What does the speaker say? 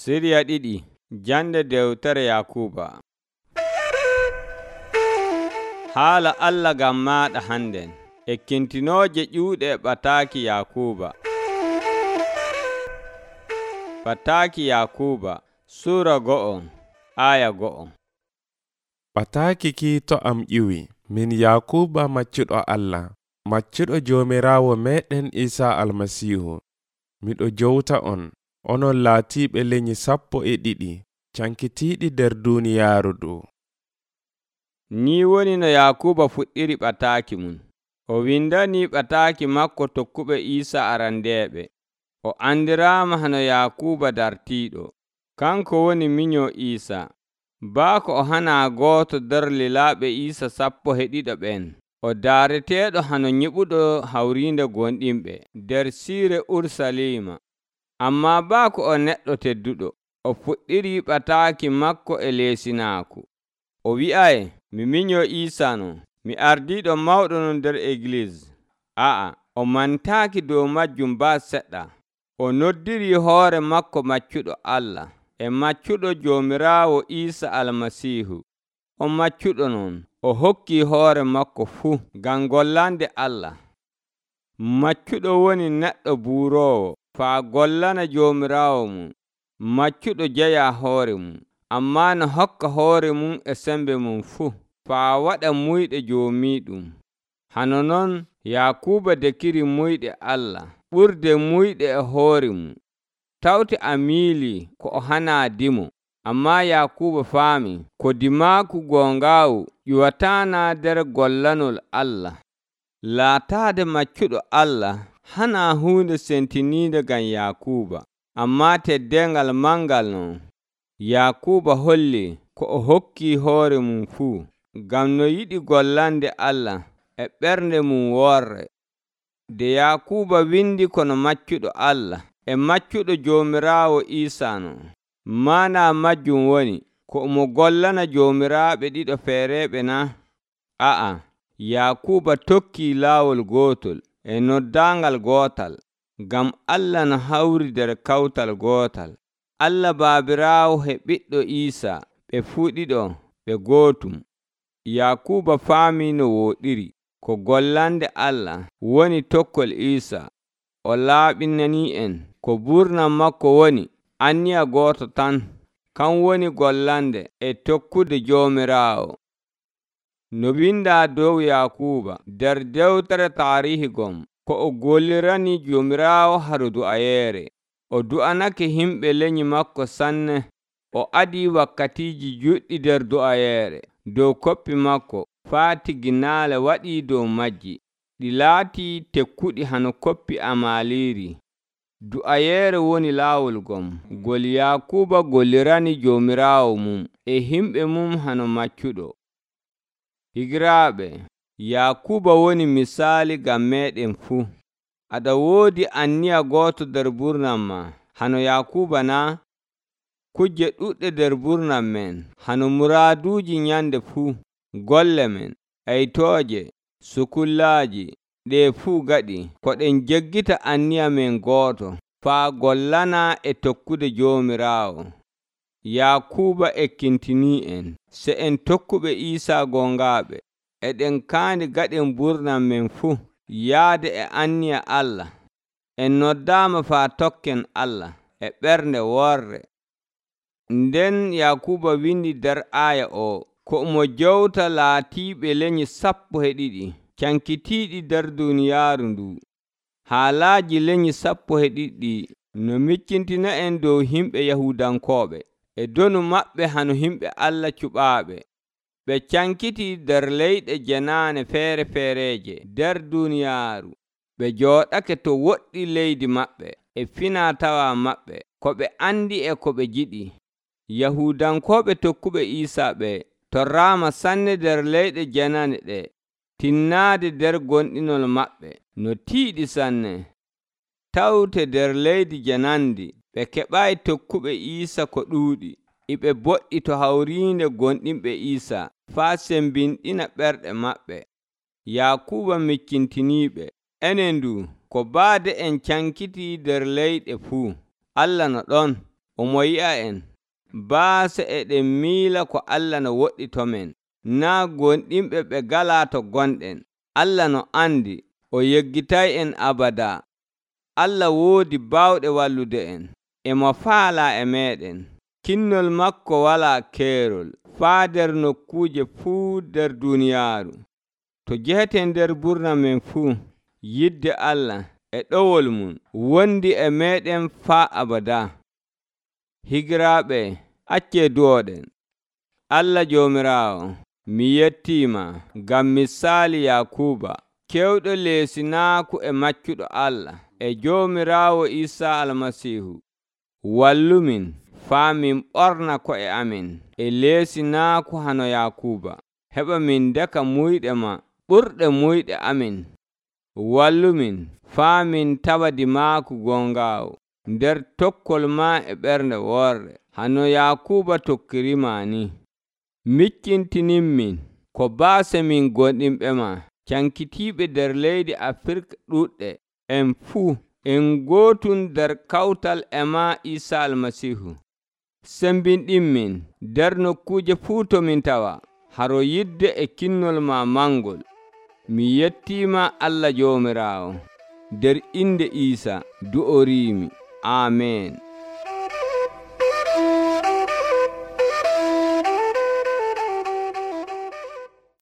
Siriya ɗiɗi jande dewtere Yakuba. Haala Allah ngam maaɗa hannden, ekkintinooje ƴuuɗe ɓataaki Yakuba. Ɓataaki Yakuba Suura 1 aya 1. Ɓataaki kiito am ƴiwi, min Yakuba maccuɗo Allah, maccuɗo Joomiraawo meeɗen Iisaa Almasiihu. Miɗo jowta on, onon laatiiɓe lenyyi 12 cankitiiɗi nder duuniyaaru ndu. Ni woni no Yakuba fuɗɗiri ɓataaki mum. O windanii ɓataaki makko tokkuɓe Iisaa arandeeɓe. O andiraama hano Yakuba dartiiɗo. Kanko woni minyo Iisaa. Baako o hanaa gooto nder lilaaɓe Iisaa 12 ɓen. O daareteeɗo hano nyiɓuɗo hawriinde gonɗinɓe nder siire Urusalima. Ammaa baako o neɗɗo tedduɗo. O fuɗɗiri ɓataaki makko e leesinaaku. O wi'ay, mi minyo Iisaa non, mi ardiiɗo mawɗo non nder Egliis. O mantaaki dow majjum baa seɗɗa. O noddirii hoore makko maccuɗo Allah e maccuɗo Joomiraawo Iisaa Almasiihu. O maccuɗo non, o hokkii hoore makko fuu ngam gollande Allah. Maccuɗo woni neɗɗo buuroowo faa gollana Joomiraawo mum. Maccuɗo jeyaa hoore mum, ammaa no hokka hoore mum e sembe mum fuu faa waɗa muyɗe joomiiɗum. Hano non Yakuba dekiri muyɗe Allah ɓurde muyɗe e hoore mum. Tawti a miilii ko o hanaa dimo, ammaa Yakuba faami ko dimaaku goongaawu ƴuwataana nder gollanol Allah. Laataade maccuɗo Allah hanaa huunde sentiniinde ngam Yakuba, ammaa teddengal mangal non. Yakuba holli ko o hokkii hoore mum fuu ngam no yiɗi gollande Allah e ɓernde mum worre. Nde Yakuba windi kono maccuɗo Allah e maccuɗo Joomiraawo Iisaa non, maana majjum woni ko omo gollana joomiraaɓe ɗiɗo feereeɓe na? Yakuba tokkii laawol gootol e noddaangal gootal, ngam Allah no hawri nder kawtal gootal. Allah Baabiraawo e ɓiɗɗo Iisaa ɓe fuu ɗiɗo ɓe gootum. Yakuba faamii no wooɗiri ko gollande Allah woni tokkol Iisaa. O laaɓinani'en ko burnam makko woni anniya gooto tan, kan woni gollande e tokkude Joomiraawo. No windaa dow Yakuba nder dewtere taarihi gom, ko o gollirani Joomiraawo haru du'ayeere. O du'anake himɓe lenyyi makko sanne. O adii wakkatiiji juɗɗi nder du'ayeere dow koppi makko faa tiginaale waɗii dow majji. Ɗi laatii tekkuɗi hano koppi amaliiri. Du'ayeere woni laawol gom ngol Yakuba gollirani Joomiraawo mum e himɓe mum hano maccuɗo. Higiraaɓe, Yakuba woni misaali ngam meeɗen fuu. Aɗa woodi anniya gooto nder burnam ma hano Yakuba na? Kuje ɗuɗɗe nder burnam men hano muraaduuji nyande fuu, golle men, aytooje, sukullaaji, ɗe fuu gaɗi ko ɗen jeggita anniya men gooto faa gollana e tokkude Joomiraawo. Yakuba ekkintinii en se en tokkuɓe Iisaa gongaaɓe, eɗen kaandi gaɗen burnam men fuu yaade e anniya Allah. En noddaama faa tokken Allah e ɓernde worre. Nden Yakuba windi nder aaya o ko omo jowta laatiiɓe lenyyi 12 cankitiiɗi nder duuniyaaru ndu. Haalaaji lenyyi 12 no miccintina en dow himɓe Yahudankooɓe e donu maɓɓe hano himɓe Allah cuɓaaɓe. Ɓe cankitii nder leyɗe jenaane feere-feereeje nder duuniyaaru. Ɓe jooɗake to woɗɗi leydi maɓɓe e finaa-tawaa maɓɓe ko ɓe andi e ko ɓe jiɗi. Yahudankooɓe tokkuɓe Iisaa ɓe torraama sanne nder leyɗe jenaane ɗe, tinnaade nder gonɗinol maɓɓe no tiiɗi sanne. Tawte nder leydi janandi ɓe keɓaayi tokkuɓe Iisaa ko ɗuuɗi. Iɓe boɗɗi to hawriinde gonɗinɓe Iisaa faa sembinɗina ɓerɗe maɓɓe. Yakuba miccintiniiɓe, enen ndu ko baade en cankitii nder leyɗe fuu, Allah no ɗon omo yi'a en baase eɗen miila ko Allah no woɗɗitomen, naa gonɗinɓe ɓe galaa to gonɗen. Allah no andi o yeggitay'en abadaa. Allah woodi baawɗe wallude en, emo faalaa e meeɗen. Kinnol makko walaa keerol faa nder nokkuuje fuu nder duuniyaaru. To jeheten nder ɓurna men fuu, yidde Allah e ɗowol mum wondi e meeɗen faa abadaa. Higiraaɓe, accee duwoɗen. Allah Joomiraawo, mi yettiima ngam misaali Yakuuba, kewɗo leesinaaku e maccuɗo Allah e Joomiraawo Iisaa Almasiihu. Wallumin faa min ɓorna ko'e amin e leesinaaku hano Yakuuba, heɓa min ndeka muyɗe ma ɓurɗe muyɗe amin. Wallumin faa min tawa dimaaku gongaawo nder tokkol ma e ɓernde worre, hano Yakuuba tokkirima ni. Miccintininmin ko baase min gonɗinɓe ma cankitiiɓe nder leydi Afirka ɗuɗɗe, en fuu en gootum nder kawtal e ma Iisaa Almasiihu. Sembinɗinmin nder nokkuuje fuu to min tawa, haro yidde e kinnol ma mangol. Mi yettiima Allah Joomiraawo, nder inde Iisaa du'oriimi. Aamen.